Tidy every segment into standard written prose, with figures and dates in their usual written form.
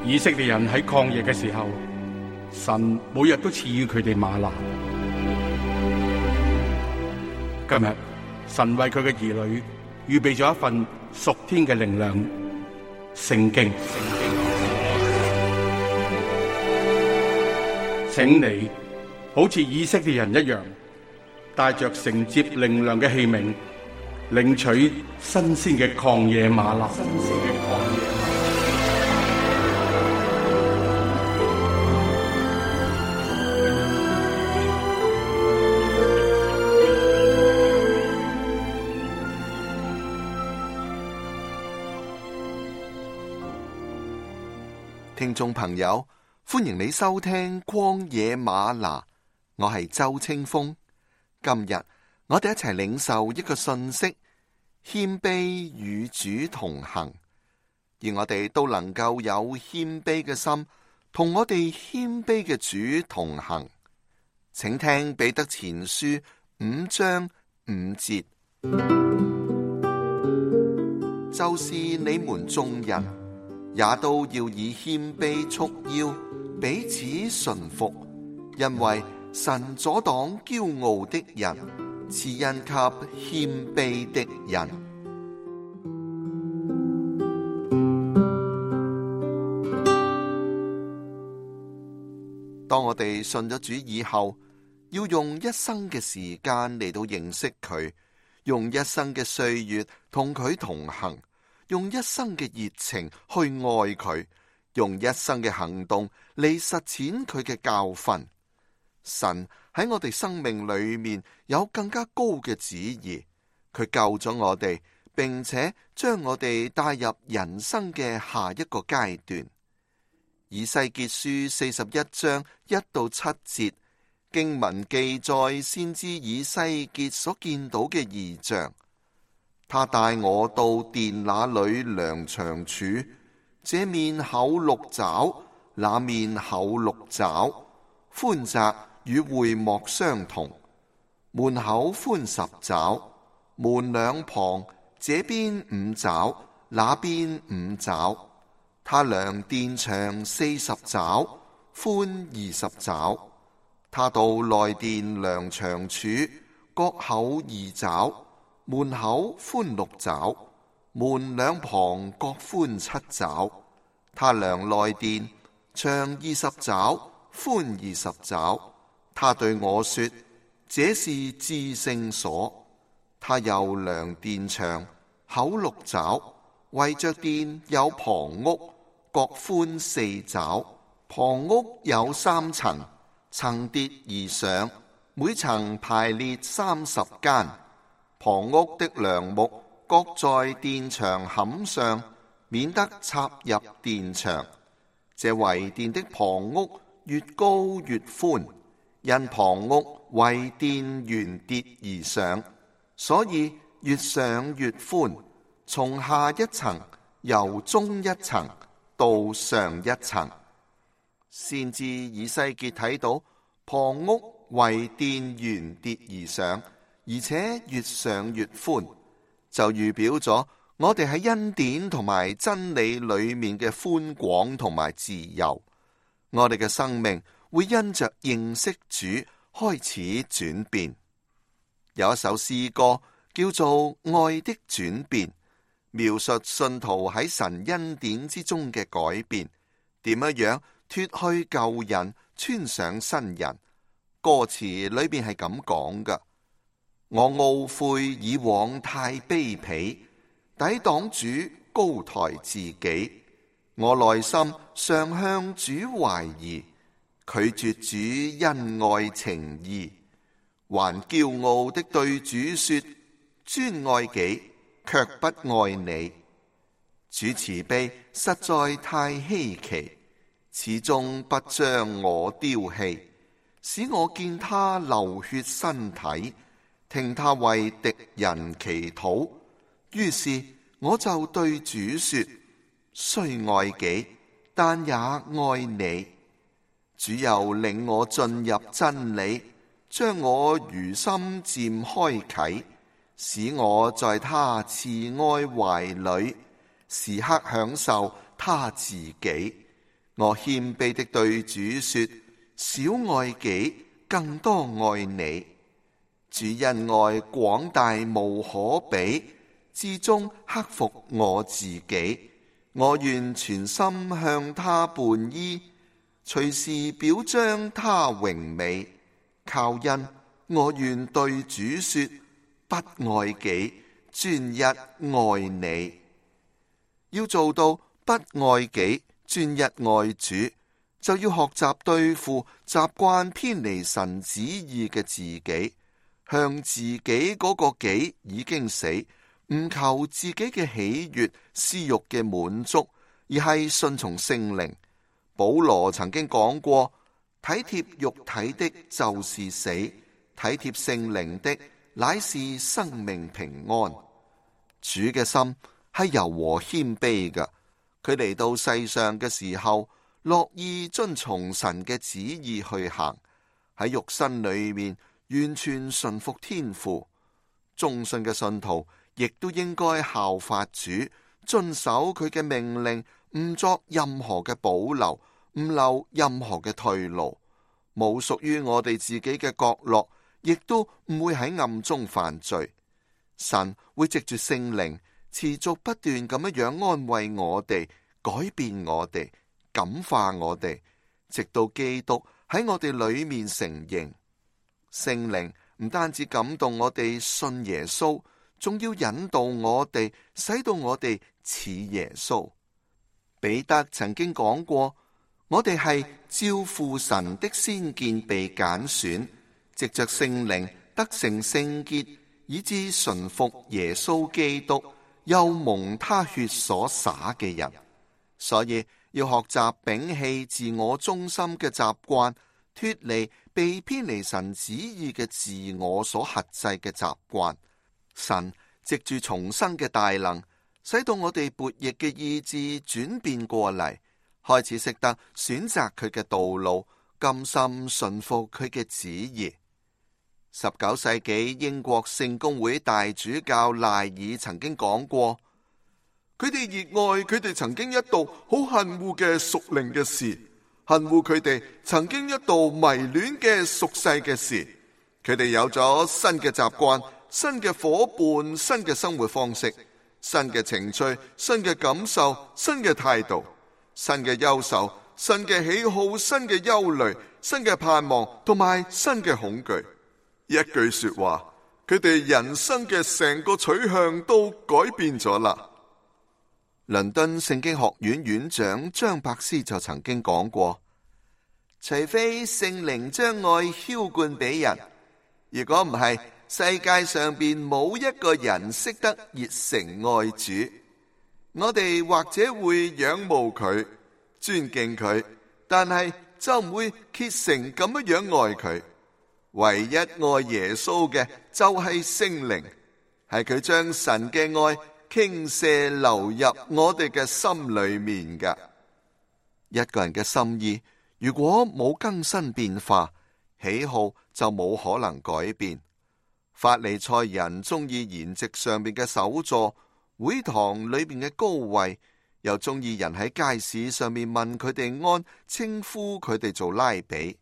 以色列人喺曠野嘅時候，神每日都賜予佢哋嗎哪。今日神為佢嘅兒女預備咗一份屬天嘅靈糧——聖經。請你好似以色列人一樣，帶着承接靈糧嘅器皿，領取新鮮嘅曠野嗎哪。聽眾朋友，歡迎你收聽曠野嗎哪，我係周清風。今日我哋一齊領受一個信息：謙卑與主同行，而我哋都能夠有謙卑嘅心，同我哋謙卑嘅主同行。請聽彼得前書5章5節，就是你們眾人，也都要以謙卑束腰，彼此順服，因為神阻擋驕傲的人，賜恩給謙卑的人。當我哋信咗主以後，要用一生嘅時間嚟到認識佢，用一生嘅歲月同佢同行，用一生嘅熱情去愛佢，用一生嘅行動嚟實踐佢嘅教訓。神喺我哋生命裏面有更加高嘅旨意，佢救咗我哋，並且將我哋帶入人生嘅下一個階段。以西結書41章1到7節經文記載先知以西結所見到嘅異象。他帶我到殿那裏量長處，這面厚6肘，那面厚6肘，寬窄與會幕相同。門口寬10肘，門兩旁這邊5肘，那邊5肘。他量殿長40肘，寬20肘。他到內殿量長處，各厚2肘。門口寬6肘，門兩旁各寬7肘。他量內殿，長20肘，寬20肘。他對我說：這是至聖所。他又量殿長，厚6肘，圍着殿有旁屋，各寬4肘。旁屋有3層，層疊而上，每層排列30間。旁屋的梁木各在殿牆坎上，免得插入殿牆。這圍殿的旁屋越高越寬，因旁屋為殿圓疊而上，所以越上越寬，從下一層由中一層到上一層。先知以西結睇到旁屋為殿圓疊而上，而且越上越寬，就預表咗我哋喺恩典同埋真理裏面嘅寬廣同埋自由。我哋嘅生命會因着認識主開始轉變。有一首詩歌叫做《愛的轉變》，描述信徒喺神恩典之中嘅改變，點樣脫去舊人，穿上新人。歌詞裏邊係咁講㗎：我懊悔以往太卑鄙，抵擋主高抬自己。我內心常向主懷疑，拒絕主恩愛情義。還驕傲的對主說，專愛己，卻不愛你。主慈悲實在太稀奇，始終不將我丟棄，使我見他流血身體，聽他為敵人祈禱。於是我就對主說，雖愛己，但也愛你。主又領我進入真理，將我如心漸開啟，使我在他慈愛懷裏，時刻享受他自己。我謙卑的對主說：少愛己，更多愛你。主恩愛廣大無可比，至終克服我自己。我願全心向他伴依，隨時表彰他榮美。靠恩，我願對主說：不愛己，專一愛你。要做到不愛己，專一愛主，就要學習對付習慣偏離神旨意嘅自己，向自己嗰個己已經死，唔求自己嘅喜悅、私欲嘅滿足，而係順從聖靈。保羅曾經講過：體貼肉體的就是死，體貼聖靈的乃是生命平安。主嘅心係柔和謙卑嘅，佢嚟到世上嘅時候，樂意遵從神嘅旨意去行，喺肉身裏面完全順服天父。忠信嘅信徒亦都應該效法主，遵守佢嘅命令，唔作任何嘅保留，唔留任何嘅退路，冇屬於我哋自己嘅角落，亦都唔會喺暗中犯罪。神會藉住聖靈持續不斷咁樣安慰我哋，改變我哋，感化我哋，直到基督喺我哋裏面成形。聖靈唔單止感動我哋信耶穌，仲要引導我哋，使到我哋似耶穌。彼得曾經講過：我哋係照父神的先見被揀選，藉着聖靈得成聖潔，以致順服耶穌基督，又蒙他血所灑嘅人。所以要學習摒棄自我中心嘅習慣，脫離被偏離神旨意嘅自我所轄制嘅習慣。神藉住重生嘅大能，使到我哋悖逆嘅意志轉變過嚟，開始識得選擇佢嘅道路，甘心順服佢嘅旨意。19世紀英國聖公會大主教賴爾曾經講過：佢哋熱愛佢哋曾經一度好恨惡嘅屬靈嘅事，恨惡佢哋曾經一度迷戀嘅屬世嘅事。佢哋有咗新嘅習慣、新嘅夥伴、新嘅生活方式、新嘅情趣、新嘅感受、新嘅態度、新嘅憂愁、新嘅喜好、新嘅憂慮、新嘅盼望同埋新嘅恐懼。一句說話，佢哋人生嘅成個取向都改變咗啦。倫敦聖經學院院長張伯斯就曾經講過：除非聖靈將愛澆灌俾人，如果唔係，世界上邊冇一個人識得熱誠愛主。我哋或者會仰慕佢、尊敬佢，但係就唔會竭誠咁樣愛佢。唯一愛耶穌嘅就係聖靈，係佢將神嘅愛傾瀉流入我哋嘅心裏面噶。一個人嘅心意如果冇更新變化，喜好就冇可能改變。法利賽人中意筵席上面嘅首座，會堂裏面嘅高位，又中意人喺街市上面問佢哋安，稱呼佢哋做拉比。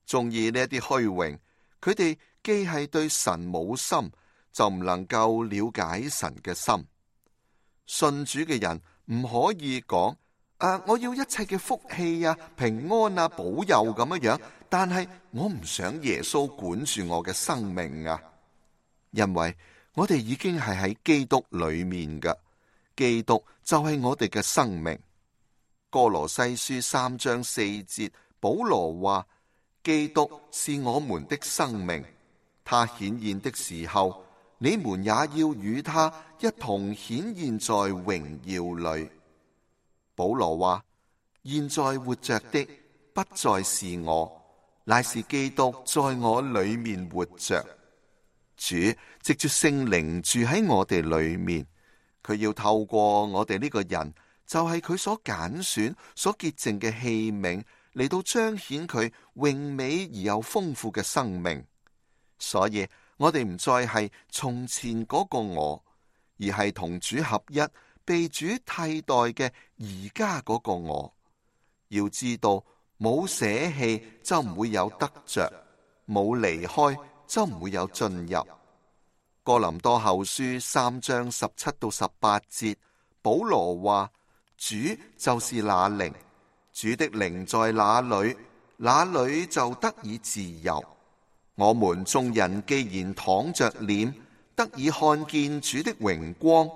中意呢一啲虛榮，佢哋既係對神冇心，就唔能夠了解神嘅心。信主嘅人唔可以講：我要一切嘅福氣啊、平安啊、保佑咁樣，但係我唔想耶穌管住我嘅生命啊。因為我哋已經係喺基督裏面㗎，基督就係我哋嘅生命。哥羅西書3章4節，保羅話：基督是我們的生命，他顯現的時候，你們也要與他一同顯現在榮耀裏。保羅話：現在活着的不再是我，乃是基督在我裏面活着。主藉住聖靈住喺我哋裏面，佢要透過我哋呢個人，就係佢所揀選、所潔淨嘅器皿，嚟到彰顯佢榮美而又豐富嘅生命。所以我哋唔再係從前嗰個我，而係同主合一、被主替代嘅而家嗰個我。要知道，冇捨棄就唔會有得着，冇離開就唔會有進入。哥林多後書3章17到18節，保羅話：主就是那靈，主的靈在哪裏，那裏就得以自由。我們眾人既然躺着臉，得以看見主的榮光，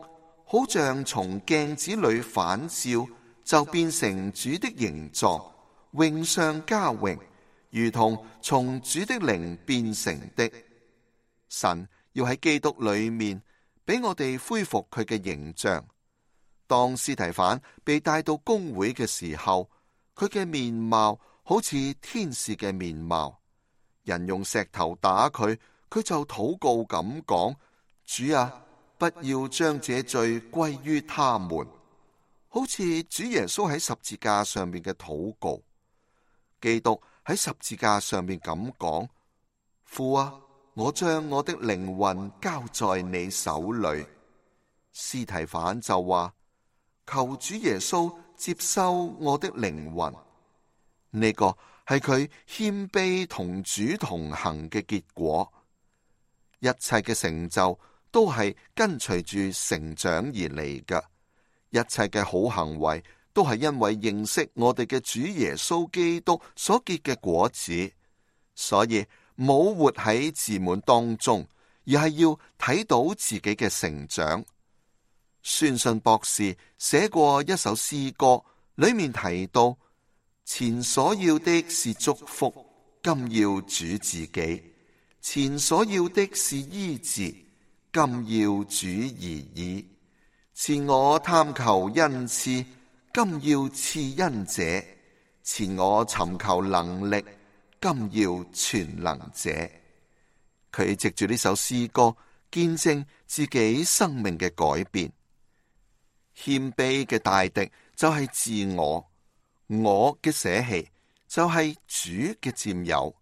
好像從鏡子裏反照，就變成主的形狀，榮上加榮，如同從主的靈變成的。神要喺基督裏面俾我哋恢復佢嘅形象。當司提反被帶到公會嘅時候，佢嘅面貌好似天使嘅面貌。人用石頭打佢，佢就禱告咁講：主啊，不要將這罪歸於他們。好似主耶穌喺十字架上面嘅禱告。基督喺十字架上面咁講：父啊，我將我的靈魂交在你手裏。司提反就話：求主耶穌接收我的靈魂。呢個係佢謙卑同主同行嘅結果。一切嘅成就都係跟隨住成長而嚟嘅。一切嘅好行為都係因為認識我哋嘅主耶穌基督所結嘅果子。所以冇活喺自滿當中，而係要睇到自己嘅成長。宣信博士寫過一首詩歌，裏面提到：前所要的是祝福，今要主自己；前所要的是醫治，今要主而已；前我貪求恩賜，今要賜恩者；前我尋求能力，今要全能者。佢藉住呢首詩歌見證自己生命嘅改變。謙卑嘅大敵就係自我，我嘅捨棄就係主嘅佔有。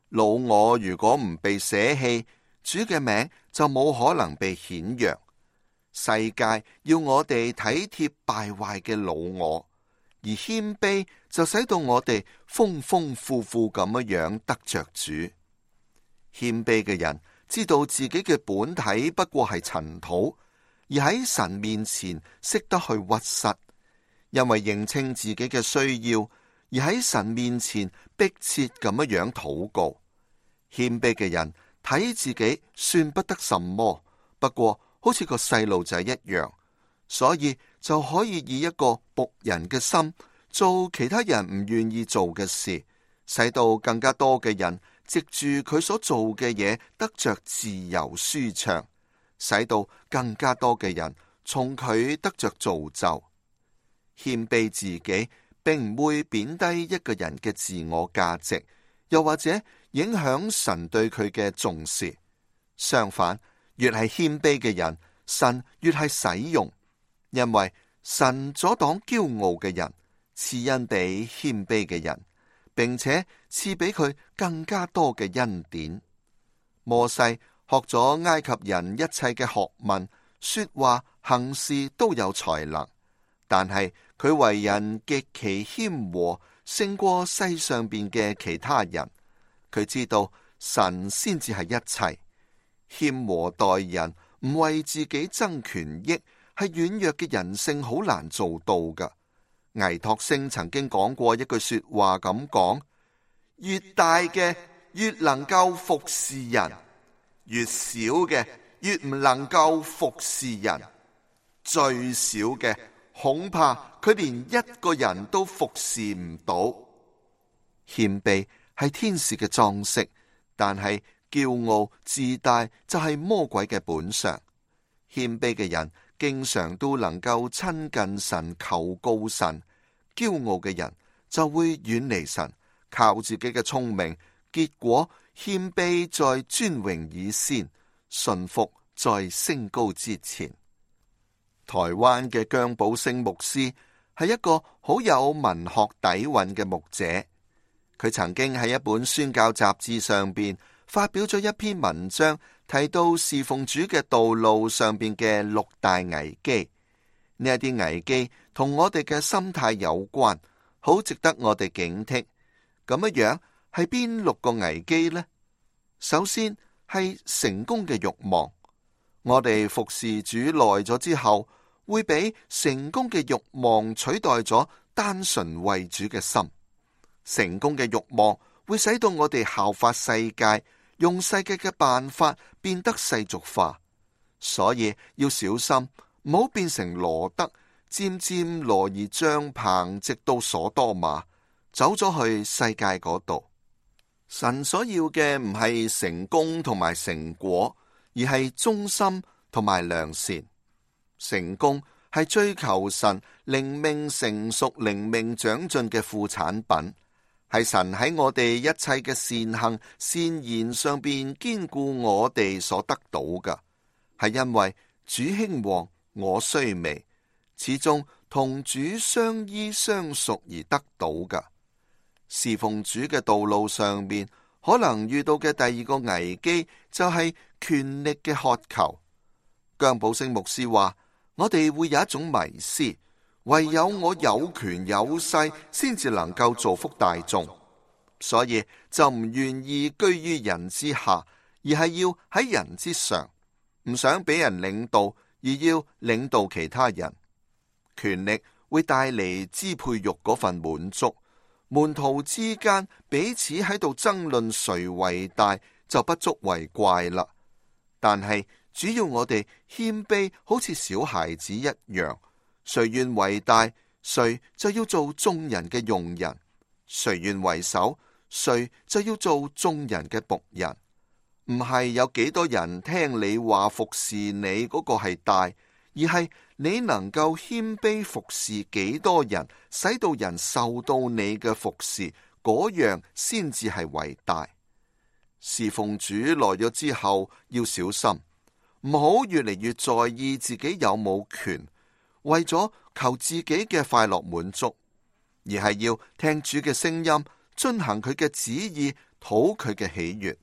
老我如果唔被捨棄，主嘅名就冇可能被顯揚。世界要我哋體貼敗壞嘅老我，而謙卑就使到我哋豐豐富富咁樣得着主。謙卑嘅人知道自己嘅本體不過係塵土，而喺神面前識得去屈膝，因為認清自己嘅需要，而喺神面前迫切咁樣禱告。謙卑嘅人睇自己算不得什麼，不過好似個細路仔一樣，所以就可以以一個僕人嘅心做其他人唔願意做嘅事，使到更加多嘅人藉住佢所做嘅嘢得着自由舒暢，使到更加多嘅人從佢得着造就。謙卑自己並唔會貶低一個人嘅自我價值，又或者影響神對佢嘅重視。相反，越係謙卑嘅人，神越係使用，因為神阻擋驕傲嘅人，賜恩俾謙卑嘅人，並且賜俾佢更加多嘅恩典。摩西學咗埃及人一切嘅學問，說話行事都有才能，但係佢為人極其謙和，勝過世上邊嘅其他人。佢知道神先至係一切，謙和待人，唔為自己爭權益，係軟弱嘅人性好難做到噶。倪柝聲曾經講過一句說話咁講：越大嘅越能夠服侍人，越小嘅越唔能夠服侍人，最小嘅恐怕佢連一個人都服侍唔到。謙卑係天使嘅裝飾，但係驕傲自大就係魔鬼嘅本相。謙卑嘅人經常都能夠親近神，求告神；驕傲嘅人就會遠離神，靠自己嘅聰明，結果謙卑在尊榮以先，順服在升高之前。台灣嘅姜寶星牧師係一個好有文學底蘊嘅牧者。佢曾經喺一本宣教雜誌上邊發表咗一篇文章，提到侍奉主嘅道路上邊嘅6大危機。呢一啲危機同我哋嘅心態有關，好值得我哋警惕。咁樣係邊6個危機呢？首先係成功嘅慾望，我哋服侍主耐咗之後，會俾成功嘅慾望取代咗單純為主嘅心。成功嘅慾望會使到我哋效法世界，用世界嘅辦法變得世俗化，所以要小心，唔好變成羅得，漸漸挪移帳篷，直到所多瑪，走咗去世界嗰度。神所要嘅唔係成功同埋成果，而係忠心同埋良善。成功係追求神靈命成熟、靈命長進嘅副產品，係神喺我哋一切嘅善行善言上邊堅固我哋所得到嘅，係因為主興旺，我衰微，始終同主相依相屬而得到嘅。侍奉主嘅道路上面，可能遇到嘅第二個危機就係權力嘅渴求。姜寶星牧師話，我哋會有一種迷思，唯有我有權有勢先至能夠造福大眾，所以就唔願意居於人之下，而係要喺人之上，唔想俾人領導，而要領導其他人。權力會帶嚟支配欲嗰份滿足，門徒之間彼此喺度爭論誰為大，就不足為怪啦。但係主要我哋謙卑，好似小孩子一樣，誰願為大，誰就要做眾人嘅用人；誰願為首，誰就要做眾人嘅僕人。唔係有幾多人聽你話服侍你嗰個係大，而係你能夠謙卑服侍幾多人，使到人受到你嘅服侍，嗰樣先至係為大。侍奉主耐咗之後，要小心，唔好越嚟越在意自己有冇權，為咗求自己嘅快樂滿足，而係要聽主嘅聲音，遵行佢嘅旨意，討佢嘅喜悅。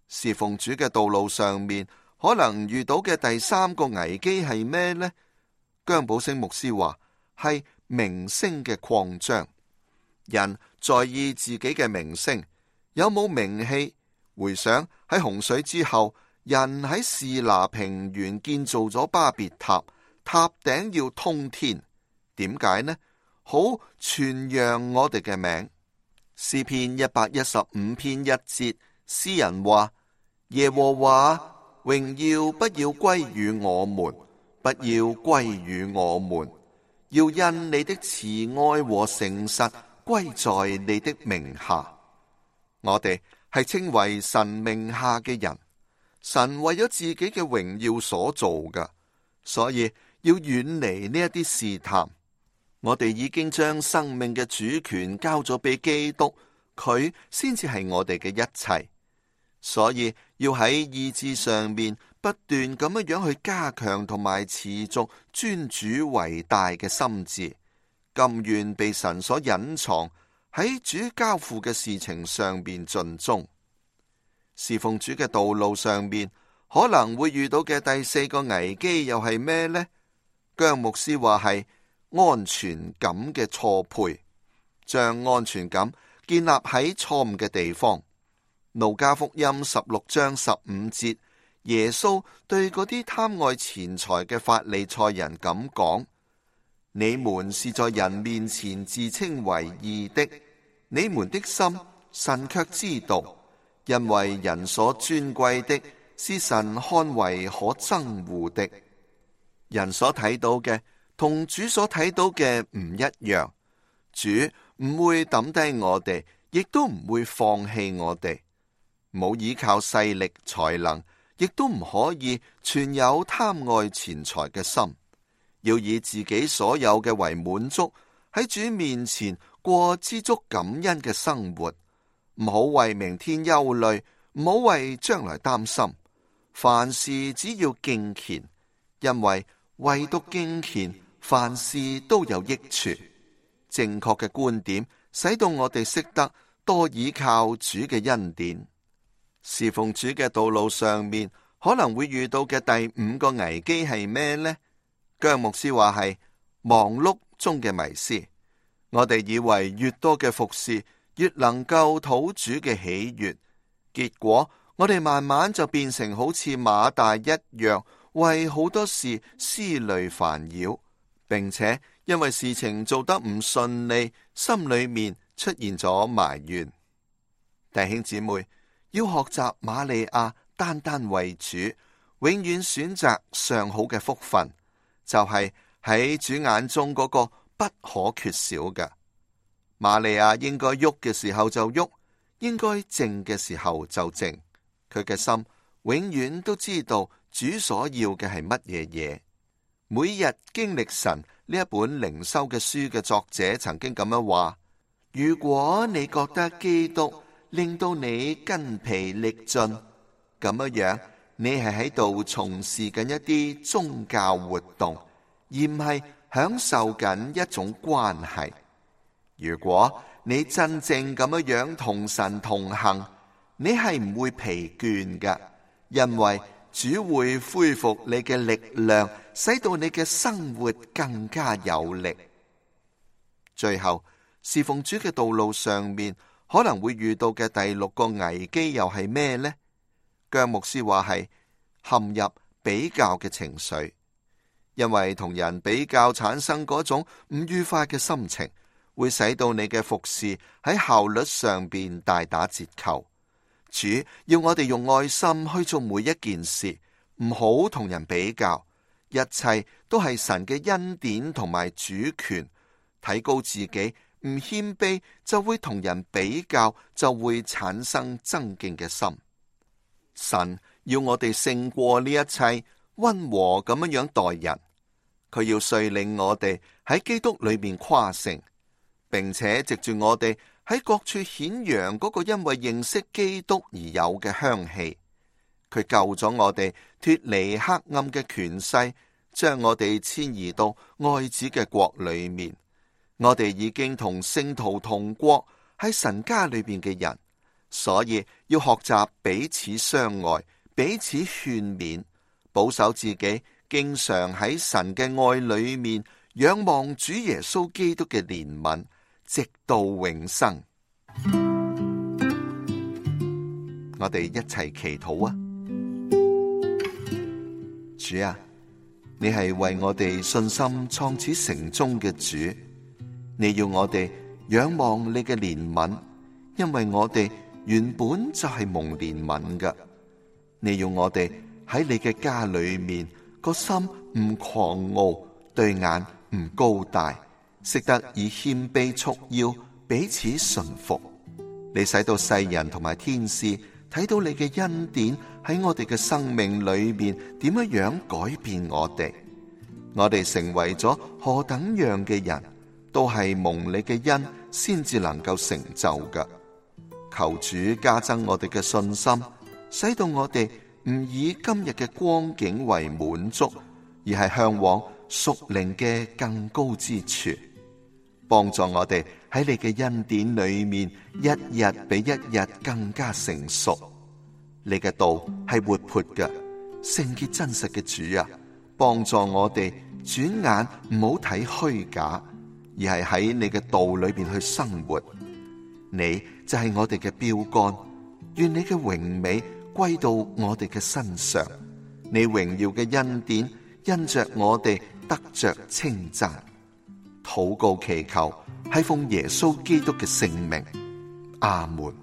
侍奉主嘅道路上面，可能遇到嘅第三個危機係咩呢？姜寶星牧師話係名聲嘅擴張。人在意自己嘅名聲，有冇名氣？回想喺洪水之後，人喺示拿平原建造咗巴別塔，塔頂要通天。點解呢？好傳揚我哋嘅名。詩篇115篇1節，詩人話：耶和華，榮耀不要歸於我們，不要歸於我們，要因你的慈愛和誠實歸在你的名下。我哋係稱為神名下嘅人，神為咗自己嘅榮耀所做嘅，所以要遠離呢一啲試探。我哋已經將生命嘅主權交咗俾基督，佢先至係我哋嘅一切。所以要喺意志上面不斷咁樣去加強同埋持續尊主為大嘅心志，甘願被神所隱藏，喺主交付嘅事情上邊盡忠。侍奉主嘅道路上面可能會遇到嘅第四個危機又係咩呢？姜牧師話係安全感嘅錯配，將安全感建立喺錯誤嘅地方。路加福音16章15節，耶穌對嗰啲貪愛錢財嘅法利賽人咁講：你們是在人面前自稱為義的，你們的心神卻知道，因為人所尊貴的是神看為可憎惡的。人所睇到嘅同主所睇到嘅唔一樣，主唔會抌低我哋，亦都唔會放棄我哋。冇依靠勢力才能，亦都唔可以存有貪愛錢財嘅心，要以自己所有嘅為滿足，喺主面前過知足感恩嘅生活，唔好為明天憂慮，唔好為將來擔心。凡事只要敬虔，因為唯獨敬虔，凡事都有益處。正確嘅觀點，使到我哋識得多倚靠主嘅恩典。侍奉主嘅道路上面，可能會遇到嘅第五個危機係咩呢？姜牧師話係忙碌中嘅迷思。我哋以為越多嘅服侍，越能夠討主嘅喜悅，結果我哋慢慢就變成好似馬大一樣，為好多事思慮煩擾，並且因為事情做得唔順利，心裏面出現咗埋怨。弟兄姊妹，要學習瑪利亞單單為主，永遠選擇上好嘅福分，就係喺主眼中嗰個不可缺少嘅。瑪利亞應該喐嘅時候就喐，應該靜嘅時候就靜。佢嘅心永遠都知道主所要嘅係乜嘢嘢。每日經歷神呢一本靈修嘅書嘅作者曾經咁樣話：如果你覺得基督令到你筋疲力盡，咁樣你係喺度從事緊一啲宗教活動，而唔係享受緊一種關係。如果你真正咁樣同神同行，你係唔會疲倦㗎，因為主會恢復你嘅力量，使到你嘅生活更加有力。最後，侍奉主嘅道路上面可能會遇到嘅第6個危機又係咩呢？姜牧師話係陷入比較嘅情緒，因為同人比較產生嗰種唔愉快嘅心情，會使到你嘅服侍喺效率上邊大打折扣。主要我哋用愛心去做每一件事，唔好同人比較，一切都係神嘅恩典同埋主權。提高自己，唔謙卑就會同人比較，就會產生爭競嘅心。神要我哋勝過呢一切，溫和咁樣待人。佢要率領我哋喺基督裏面誇勝，並且藉住我哋喺各處顯揚嗰個因為認識基督而有嘅香氣。佢救咗我哋脫離黑暗嘅權勢，將我哋遷移到愛子嘅國裏面。我哋已經同聖徒同國，喺神家裏邊嘅人，所以要學習彼此相愛，彼此勸勉，保守自己，經常喺神嘅愛裏面仰望主耶穌基督嘅憐憫，直到永生。我哋一齊祈禱啊！主啊，你係為我哋信心創始成終嘅主。你要我哋仰望你嘅憐憫，因為我哋原本就係蒙憐憫嘅。你要我哋喺你嘅家裏面，個心唔狂傲，對眼唔高大，識得以謙卑束腰，彼此順服。你使到世人同埋天使睇到你嘅恩典喺我哋嘅生命裏面點樣改變我哋。我哋成為咗何等樣嘅人，都係蒙你嘅恩先至能夠成就嘅。求主加增我哋嘅信心，使到我哋唔以今日嘅光景為滿足，而係向往屬靈嘅更高之處。幫助我哋喺你嘅恩典裏面，一日比一日更加成熟。你嘅道係活潑嘅、聖潔真實嘅主啊！幫助我哋轉眼唔好睇虛假，而係喺你嘅道裏邊去生活。你就係我哋嘅標杆，願你嘅榮美歸到我哋嘅身上。你榮耀嘅恩典因着我哋得着稱讚。禱告祈求係奉耶穌基督嘅聖名，阿門。